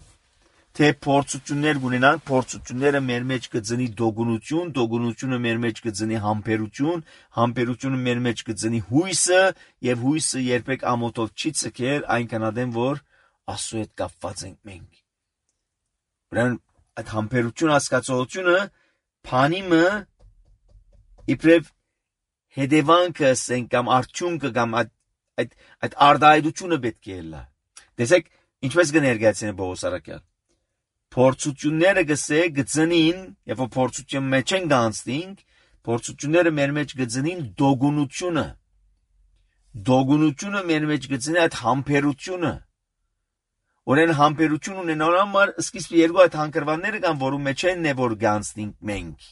S1: թե փորձություններ ունենան, փորձությունները մեր մեջ կծնի դոգունություն, դոգունությունը մեր մեջ կծնի համբերություն, համբերությունը մեր մեջ կծնի հույսը, եւ հույսը երբեք ամոթով չի ցկեր, այնքան ադեմ որ Աստծո հետ կապված ենք մենք։ Ուրեմն այդ համբերություն հասկացողությունը փանիմը իբրև հետևանքը ասենք կամ արդյունքը կամ այդ այդ այդ արդայությունը պետք է լա։ Տեսեք ինչպես կներկայացնեն Պողոս առաքյալ։ Փորձությունները գսե գծնին, եւ որ փորձություն մեջ են գանցնենք, փորձությունները մեր մեջ գծնին դոգունությունը։ Դոգունությունը մեր մեջ գծնի այդ համբերությունը։ Որեն համբերություն ունենալու համար սկիզբը երկու այդ հանգրվանները կան, որում մեջ են է որ գանցնենք մենք։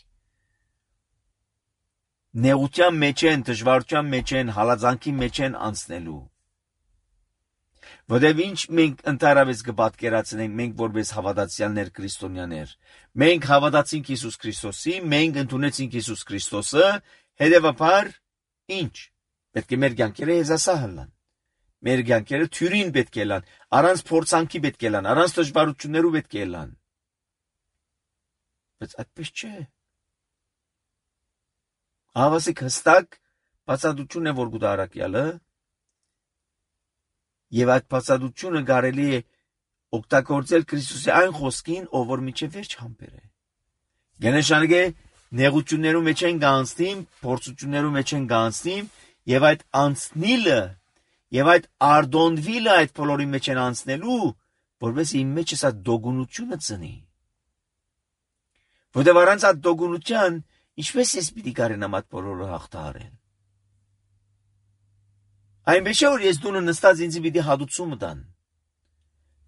S1: Նեղության մեջ են, դժվարության մեջ են, հալածանքի մեջ են անցնելու։ Որտեւ ինչ մենք ընդհանրապես կպատկերացնենք մենք որպես հավատացյալներ քրիստոնյաներ։ Մենք հավատացինք Հիսուս Քրիստոսի, մենք ընդունեցինք Հիսուս Քրիստոսը, հետևաբար ինչ։ Պետք է մեր կյանքերը եզասահ լան։ Մեր կյանքերը թյուրին պետք է լան, առանց փորձանքի պետք է լան, առանց դժվարություններու պետք է լան։ Բայց այդպես չէ։ Ավասիկ հստակ բացատրություն է որ գուտա առաքյալը, եւ այդ բացատրությունը կարելի է օգտագործել Քրիստոսի այն խոսքին, ով որ միջև վերջ համբեր է։ Գենեշանագե նեղություններու մեջ են գանցնիմ, փորձություններու մեջ են գանցնիմ, եւ այդ անցնիլը Եվ այդ արդոնվիլը այդ բոլորի մեջ են անցնելու, որպես իմ մեջ էս այդ դոգունությունը ծնի։ Որտեւ առանց այդ դոգունության, ինչպես ես պիտի կարենամ այդ բոլորը հաղթահարել։ Այնպես է որ ես դունը նստած ինձ պիտի հատուցումը տան։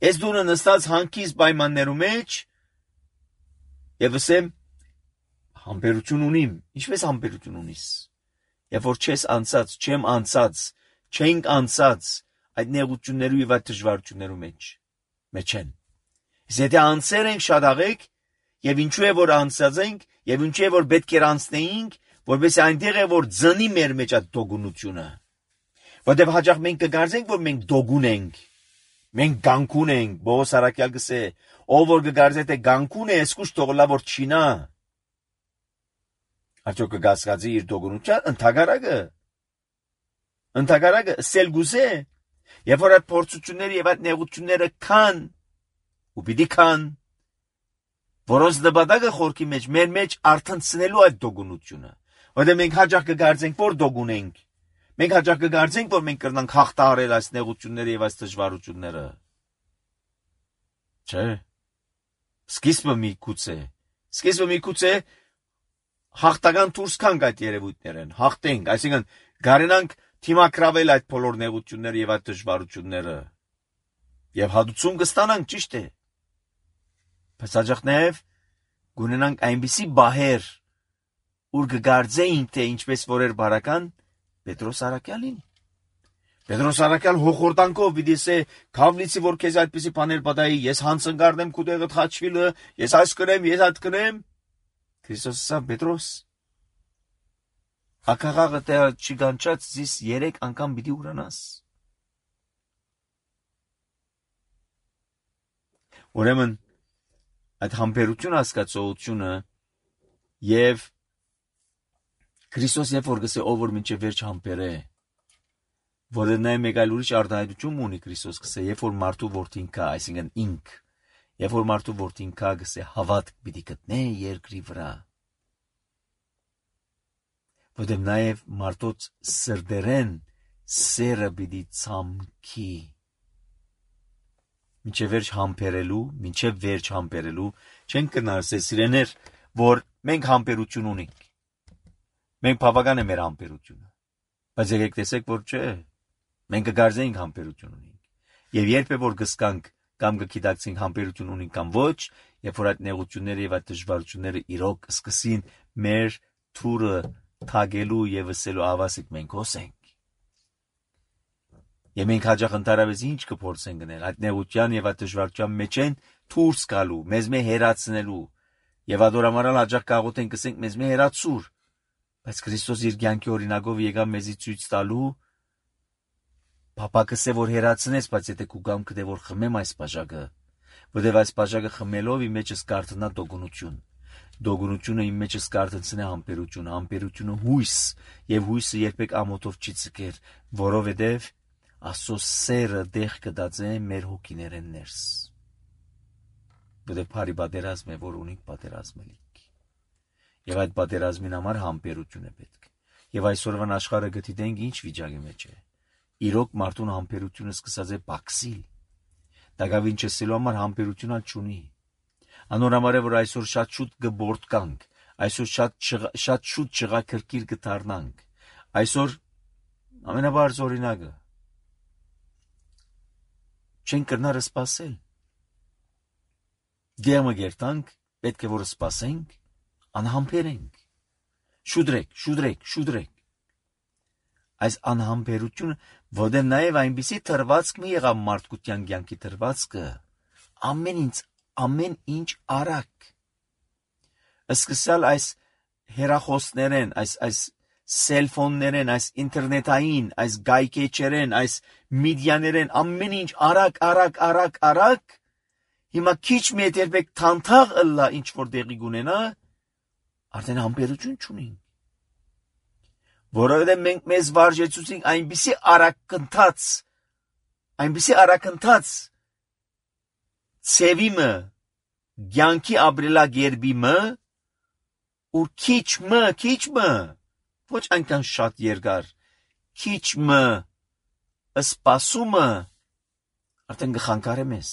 S1: Ես դունը նստած հանքիս պայմաններու մեջ, եւ ասեմ համբերություն ունիմ, ինչպես համբերություն ունիս։ Եվ որ չես անցած, չեմ անցած, չենք անցած այդ նեղություններու եւ այդ դժվարություններու մեջ մեջ են։ Եթե անցեր ենք շատ աղեք եւ ինչու է որ անցած ենք եւ ինչու է որ պետք է անցնեինք, որովհետեւ այնտեղ է որ ծնի մեր մեջ այդ դոգունությունը։ Որտեւ հաճախ մենք կգարձենք որ մենք դոգուն ենք։ Մենք գանկուն ենք, Պողոս առաքյալ գսե, ով որ կգարձե թե գանկուն է, սկուշ թողլա որ չինա։ Արդյոք կգասկածի իր դոգունության ընդհանրակը Ընդհանրակը սելգուզե, եւ որ այդ փորձությունները եւ այդ նեղությունները կան, ու պիտի կան, որոնց նպատակը խորքի մեջ մեր մեջ արթնցնելու այդ դոգունությունը, որտեղ մենք հաճախ կգարձենք որ դոգուն ենք, մենք հաճախ կգարձենք որ մենք կրնանք հաղթահարել այս նեղությունները եւ այս դժվարությունները։ Չէ։ Սկիզբը մի կուծե, սկիզբը մի կուծե հաղթական դուրս կանք այդ երևույթներն, հաղթենք, այսինքն գարենանք թիմակրավել այդ բոլոր նեղությունները եւ այդ դժվարությունները եւ հատուցում կստանանք ճիշտ է բայց հաջող նաեւ գունենանք այնպիսի բահեր ուր կգարձեինք թե ինչպես որ էր բարական Պետրոս առաքյալին Պետրոս առաքյալ հոխորտանքով պիտի ասե քավլիցի որ քեզ այդպիսի բաներ պատահի ես հանցնկարդեմ քու տեղը խաչվիլը ես այս կրեմ ես այդ կրեմ Քրիստոսը ասա Պետրոս Ակաղաղը թե չգանչած զիս երեք անգամ պիտի ուրանաս։ Ուրեմն այդ համբերություն հասկացողությունը եւ Քրիստոս երբ որ գսե ով որ մինչև վերջ համբեր է, որը նա մեկ այլ ուրիշ արտահայտություն ունի Քրիստոս գսե, երբ որ մարդու որդին կա, այսինքն ինք, երբ որ մարդու որդին կա գսե հավատք պիտի գտնե երկրի վրա։ Որտեղ նաև մարդոց սրդերեն սերը պիտի ցամքի։ Մինչև վերջ համբերելու, մինչև վերջ համբերելու, չենք կնարսել սիրեներ, որ մենք համբերություն ունենք։ Մենք բավական է մեր համբերությունը։ Բայց եկեք տեսեք, որ չէ։ Մենք կգարձենք համբերություն ունենք։ Եվ երբ է որ գսկանք կամ կգիտակցենք համբերություն ունենք կամ ոչ, երբ որ այդ նեղությունները եւ այդ դժվարությունները իրոք սկսին մեր թուրը թագելու եւ ասելու ավասիկ մենք հոսենք։ Եվ մենք հաջող ընդհանրապես ինչ կփորձենք գնել այդ նեղության եւ այդ դժվարության մեջ են դուրս գալու, մեզ մե հերացնելու եւ ադորամարալ հաջող կաղոթենք ասենք մեզ մե հերացուր, բայց Քրիստոս իր կյանքի օրինակով եկավ մեզի ցույց տալու Պապակը սե որ հերացնես, բայց եթե քու գամքը դե որ խմեմ այս բաժակը, որտեվ այս բաժակը խմելով իմ մեջս կարտնա դոգունություն։ Դոգունությունը իմ մեջս կարտնցնե համբերություն, համբերությունը հույս, եւ հույսը երբեք ամոթով չի ցկեր, որովհետեւ Աստծո սերը դեղ կդածե մեր հոգիներեն ներս։ Որտեւ բարի պատերազմ է, որ ունիկ պատերազմելիք։ Եվ այդ պատերազմին համար համբերություն է պետք։ Եվ այսօրվան աշխարհը գտիտենք ինչ վիճակի մեջ է։ Իրոք մարդուն համբերությունը սկսած է բաքսիլ։ Դակավին չսելու համար համբերությունը չունի։ Անորամար է, որ այսօր շատ շուտ կբորտկանք, այսօր շատ շատ շուտ չղա քրկիր կդառնանք։ Այսօր ամենաբարձ օրինակը չեն կրնար սպասել։ Դեմը գերտանք, պետք է որ սպասենք, անհամբերենք։ Շուդրեք, շուդրեք, շուդրեք։ Այս անհամբերությունը, որտեղ նաև այնպիսի թրվածք մի եղավ մարդկության կյանքի թրվածքը, ամեն ինչ, ամեն ինչ արագ։ Սկսալ այս հեռախոսներեն, այս այս սելֆոններեն, այս ինտերնետային, այս գայքեչերեն, այս մեդիաներեն, ամեն ինչ արագ, արագ, արագ, արագ։ Հիմա քիչ մի երբեք թանթաղ ըլլա ինչ որ դեղի գունենա, արդեն համբերություն չունին։ Որովհետև մենք մեզ վարժեցուցինք այնպիսի արագընթաց, այնպիսի արագընթաց ցևիմը, ցանկի ապրելակերպիմը, ու քիչմը, քիչմը, ոչ այնքան շատ երկար, քիչմը, սպասումը, արդեն գխանկարե մեզ,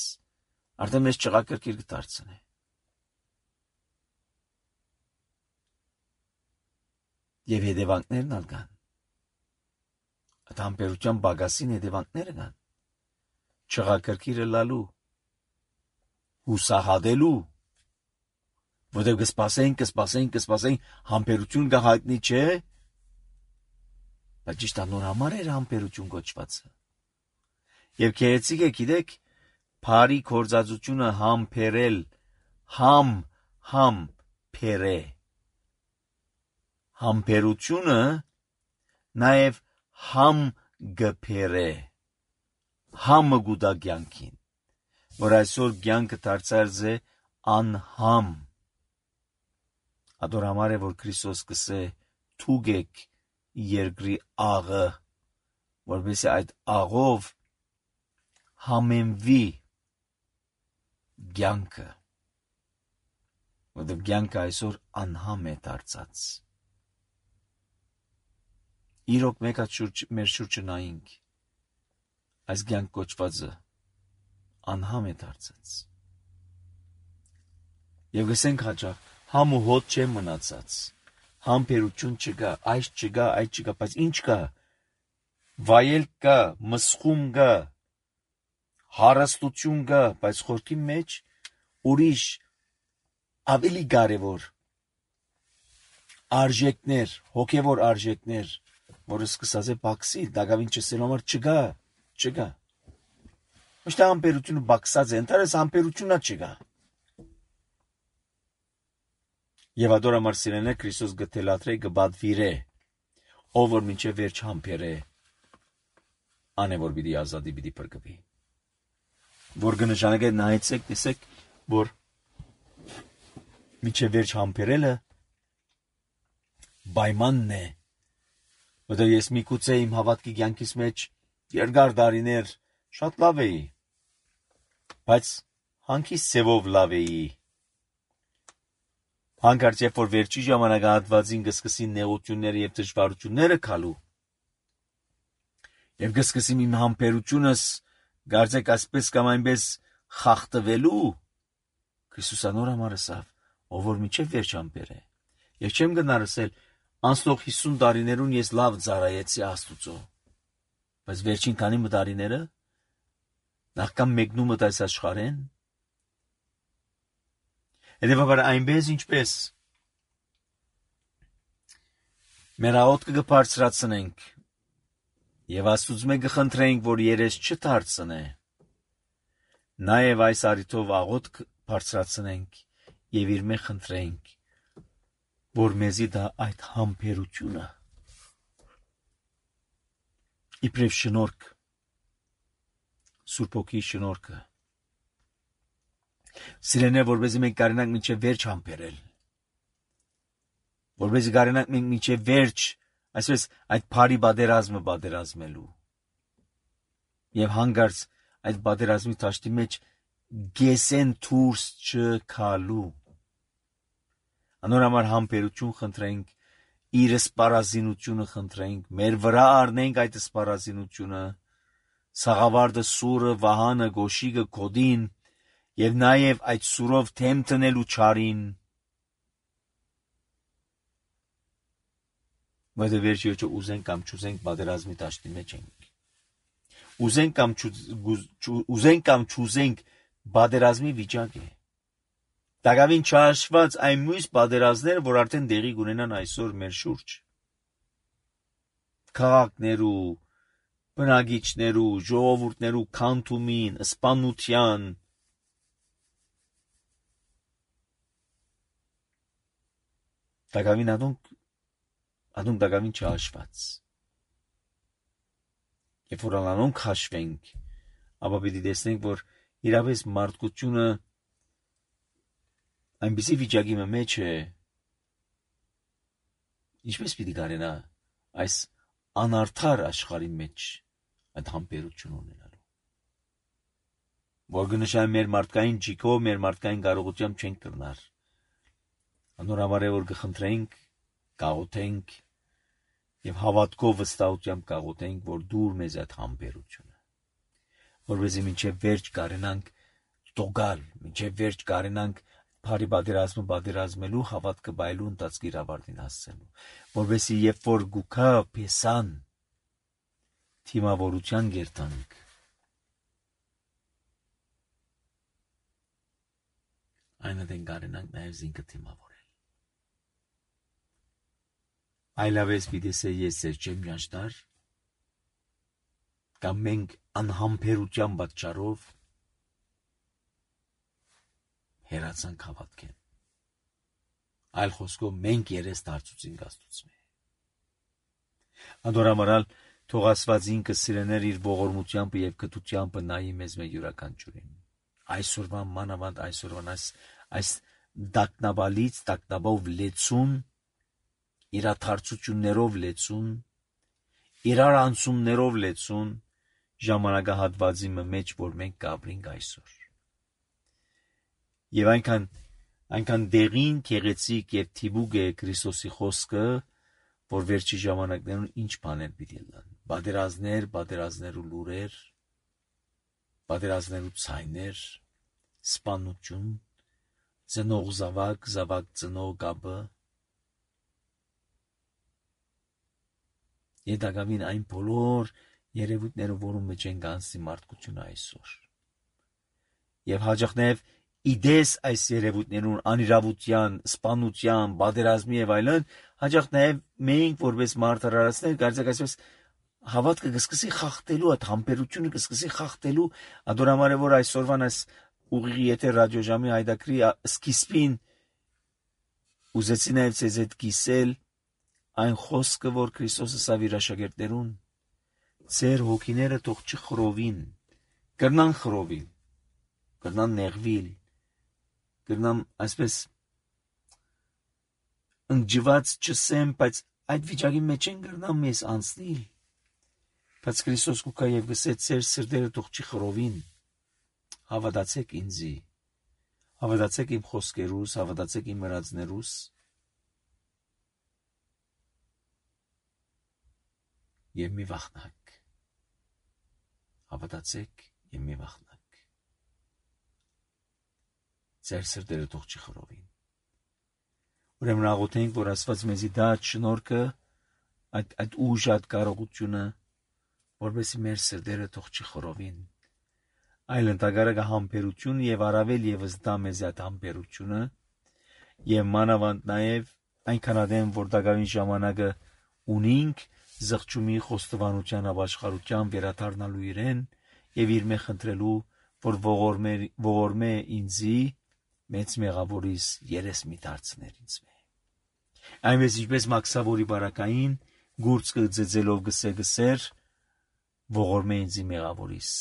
S1: արդեն մեզ ճղակրկիր կդարձնե։ Եվ հետևանքներն ալ կան։ Այդ համբերության բագասին հետևանքները կան։ Չղակրկիրը լալու, հուսահատելու, որտեղ կսպասենք, կսպասենք, կսպասենք, համբերություն կհայտնի չէ, բայց ճիշտ անոր համար էր համբերություն կոչվածը։ Եվ քերեցիկ է գիտեք, բարի գործածությունը համբերել, համ, համ, փերե։ Համբերությունը նաև համ գփերե, համը գուտա կյանքին, որ այսօր կյանքը դարձած է անհամ։ Ադորամար է, որ Քրիստոս կսե թուգեք երկրի աղը, որովհետեւ այդ աղով համենվի կյանքը, որովհետեւ կյանքը այսօր անհամ է դարձած։ Իրոք մեկ հատ շուրջ մեր շուրջը նայինք, այս կյանք կոչվածը անհամ է դարձած։ Եվ գսենք հաճախ, համ ու հոտ չէ մնացած, համբերություն չկա, այս չկա, այդ չկա, բայց ինչ կա, վայելք կա, մսխում կա, հարստություն կա, բայց խորքի մեջ ուրիշ ավելի կարևոր արժեքներ, հոգևոր արժեքներ, որը սկսած է բաքսիլ, դակավին չսելու համար չկա, չկա։ Ոչ թե համբերությունը բաքսած է, ընդհանրապես համբերությունա չկա։ Եվ ադորամար սիրելիներ, Քրիստոս գտելատրե գբադվիրե, ով որ մինչև վերջ համբերե, անե որ պիտի ազատի, պիտի փրկվի։ Որ կնշանակե նայեցեք, տեսեք, որ մինչև վերջ համբերելը պայմանն է, որտեղ ես միգուցե իմ հավատքի կյանքից մեջ երկար տարիներ շատ լավ էի, բայց հանկիստ ձևով լավ էի։ Հանկարծ երբ որ վերջի ժամանակահատվածին կսկսին նեղությունները եւ դժվարությունները քալու, եւ կսկսեմ իմ համբերությունս գարձեք ասպես կամ այնպես խախտվելու, Քրիստոսը նոր համար ասավ, ով որ միջև վերջ համբեր է։ Ես չեմ գնար ասել, անցնող հիսուն տարիներուն ես լավ ծառայեցի Աստուծո, բայց վերջին քանի տարիները նախքան մեկնումդ այս աշխարհեն, հետևաբար այնպես ինչպես մեր աղոթքը կբարձրացնենք եւ Աստծուց մենք կխնդրենք, որ երես չդարձնե, նաեւ այս արիթով աղոթք բարձրացնենք եւ իր մեջ խնդրենք, որ մեզի դա այդ համբերությունը իբրև շնորհք, Սուրբ Հոգի շնորհքը, սիրենե, որպեսզի մենք կարողանանք մինչև վերջ համբերել, որպեսզի կարողանանք մենք մինչև վերջ, այսպես այդ բարի պատերազմը պատերազմելու եւ հանգարց այդ պատերազմի դաշտի մեջ գեսեն դուրս չգալու։ Անոր համար համբերություն խնդրենք, իր սպառազինությունը խնդրենք, մեր վրա առնենք այդ սպառազինությունը, Սաղավարտը, Սուրը, Վահանը, Գոշիկը, Գոդին եւ նաեւ այդ սուրով թեմ տնելու չարին, որը վերջի ոչը ուզենք կամ չուզենք պատերազմի դաշտի մեջ ենք։ Ուզենք կամ ուզենք կամ չուզենք պատերազմի վիճակ է։ Տակավին չհաշված այն մյուս պատերազմները, որ արդեն դեղի կունենան այսօր մեր շուրջ։ Քաղաքներու, բնակիչներու, ժողովուրդներու քանդումին, սպանության, տակավին adunk adunk տակավին չհաշված։ Երբ որ անոնք հաշվենք, ապա պիտի տեսնենք, որ իրապես մարդկությունը այնպիսի վիճակի մեջ է, ինչպես պիտի կարենա այս անարդար աշխարհի մեջ այդ համբերություն ունենալու։ Որ գնշան մեր մարդկային ջիկով, մեր մարդկային կարողությամբ չենք կրնար։ Անոր համար է, որ կխնդրենք, կաղոթենք եւ հավատքով վստահությամբ կաղոթենք, որ դուր մեզ այդ համբերությունը, որովհետեւ մինչեւ վերջ կարենանք տոգալ, մինչեւ վերջ կարենանք բարի պատերազմը պատերազմելու, հավատքը բայելու ընթացքի ավարտին հասցնելու, որովհետեւ երբ որ գուքա փեսան թիմավորության գերտանք, այնադեն կարենանք նաեւ զինքը թիմավորել։ Այլավես պիտի սե ես ձեր չեմ ճանչնար, կամ մենք անհամբերության պատճառով հերացանք հավատքեն։ Այլ խոսքով մենք երես դարձուցինք Աստծո։ Անդորամարալ թող Աստված ինքը սիրեներ իր ողորմությամբ եւ կտությամբ նայի մեզ մեր յուրաքանչյուրին։ Այսօրվա մանավանդ այսօրվան այս այս դակնաբալից դակնաբով լեցուն, իրաթարցություններով լեցուն, իրար անցումներով լեցուն ժամանակահատվածի մեջ, որ մենք կապրենք այսօր։ Եվ այնքան այնքան դեղին, գեղեցիկ եւ թիբուկ է Քրիստոսի խոսքը, որ վերջի ժամանակներուն ինչ բաներ պիտի լան։ Պատերազմներ, պատերազմներու լուրեր, պատերազմներու ցայներ, սպանություն, ծնող զավակ, զավակ ծնող կապը։ Եդակավին այն բոլոր երևույթները, որում մեջ են գանցի մարդկությունը այսօր։ Եվ հաջողնև իդես այս երևույթներուն անիրավության, սպանության, պատերազմի եւ այլն, հաջող նաեւ մենք որպես մարդարարացներ կարծեք այսպես հավատքը կսկսի խախտելու, այդ համբերությունը կսկսի խախտելու, ադորամար է որ այսօրվան այս ուղիղի եթե ռադիոժամի հայդակրի սկիզբին ուզեցի նաեւ ցեզ հետ կիսել այն խոսքը, որ Քրիստոսը սա իր աշակերտներուն ձեր հոգիները թող չխռովին, կրնան խռովիլ, կրնան նեղվիլ, կրնան այսպես ընջված չսեմ, բայց այդ վիճակի մեջ են կրնան մեզ անցնիլ, Բայց Քրիստոս կուքա եւ գսե ծեր սրտերը թող չի խռովին, հավատացեք ինձի, հավատացեք իմ խոսքերուս, հավատացեք իմ մրածներուս, եւ մի վախնակ, հավատացեք եւ մի վախնակ, ծեր սրտերը թող չի խռովին։ Ուրեմն աղոթենք, որ Աստված մեզի դա շնորհքը, այդ այդ ուժը, այդ կարողությունը, որովհետեւ մեր սրտերը թող չի խռովին, այլ ընդհանրակը համբերություն եւ առավել եւս դա մեզ այդ համբերությունը եւ մանավանդ նաեւ այնքան ադեմ, որ դակավին ժամանակը ունինք զղջումի խոստովանության ապաշխարության վերադառնալու իրեն եւ իր մե խնդրելու, որ ողորմե ողորմե ինձի մեծ մեղավորիս երես մի դարձներ ինձ մե։ Այնպես ինչպես Մաքսավորի բարակային գուրցը ձեձելով գսե գսեր ողորմե ինձի մեղավորիս։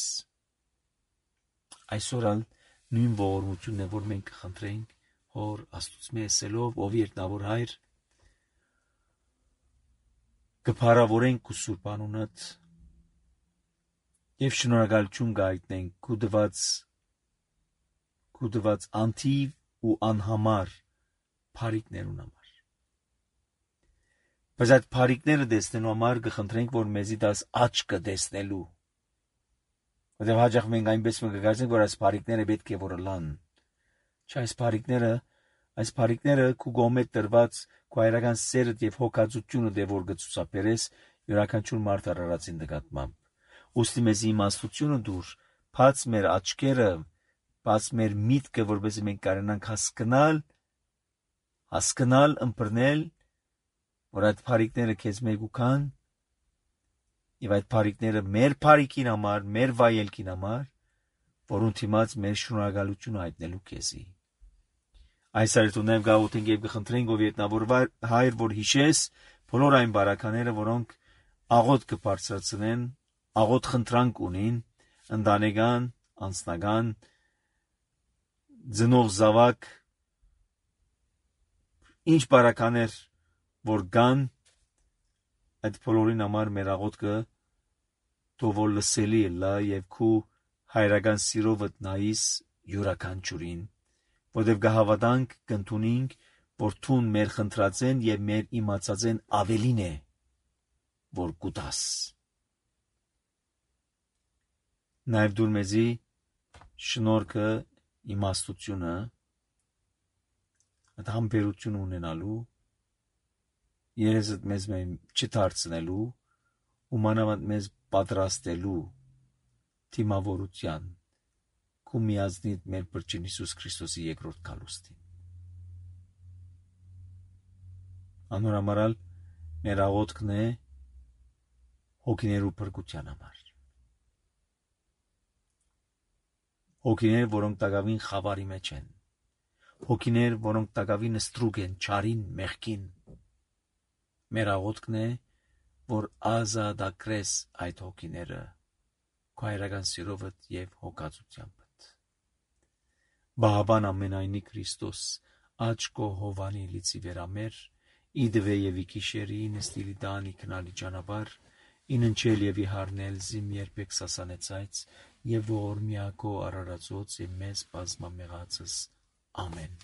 S1: Այսօր ալ նույն ողորմությունն է, որ մենք կխնդրենք Հոր Աստծո ասելով, ով երտնավոր հայր, կփառավորենք քու սուրբ անունդ եւ շնորհակալություն գայտնենք քու դված քու դված անթիվ ու անհամար փարիկներուն համար։ Բայց այդ փարիկները դեսնելու համար կխնդրենք, որ մեզի դաս աչքը դեսնելու։ Որտեղ հաճախ մենք այնպես մենք կգործենք, որ այս փարիկները պետք է որ լան։ Չէ, այս փարիկները, այս փարիկները քու գոմե տրված քու հայրական սերդ եւ հոգացությունը դե որ գծուսապերես յուրաքանչյուր մարդ արարածին նկատմամբ։ Ոստի մեզի իմաստությունը դուր, բաց մեր աչքերը, բաց մեր միտքը, որովհետեւ մենք կարողանանք հասկանալ, հասկանալ, ըմբռնել, որ այդ փարիկները քեզ մեգուքան եւ այդ փարիկները մեր փարիկին համար, մեր վայելքին համար, որուն թիմած մեր շնորհակալությունը հայտնելու քեզի։ Այս արթունև գաղութենք եւ կխնդրենք ով ետնավոր հայր, որ հիշես բոլոր այն բարակաները, որոնք աղոտ կբարձրացնեն, աղոտ խնդրանք ունին, ընտանեկան, անձնական, ծնող զավակ, ինչ բարականեր որ կան, այդ բոլորին համար մեր աղոթքը թող լսելի լա եւ քու հայրական սիրովդ նայիս յուրաքանչյուրին, որտեւ կհավատանք, կընդունենք, որ թուն մեր խնդրածեն եւ մեր իմացածեն ավելին է, որ կուտաս։ Նաեւ դուր մեզի շնորհքը, իմաստությունը, այդ համբերություն ունենալու, երեսդ մեզ մեն չդարձնելու ու մանավանդ մեզ պատրաստելու թիմավորության քու միազնիդ մեր Փրկին Հիսուս Քրիստոսի երկրորդ գալուստին։ Անորամարալ մեր աղոթքն է հոգիներու փրկության համար։ Հոգիներ, որոնք տակավին խավարի մեջ են, հոգիներ, որոնք տակավին ստրուկ են, չարին, մեղքին։ Մեր աղոթքն է, որ ազատագրես այդ հոգիները քո հայրական սիրովդ եւ հոգացությամբ։ Բահաբան ամենայնի Քրիստոս աչ կո հովանի լիցի վերամեր իդվե եւ իքիշերի նստիլի դանի քնալի ճանապար ինընչել եւ իհարնել զիմ երբեք սասանեցայց եւ ողորմիակո արարածոց եւ մեզ բազմամեղածս ամեն։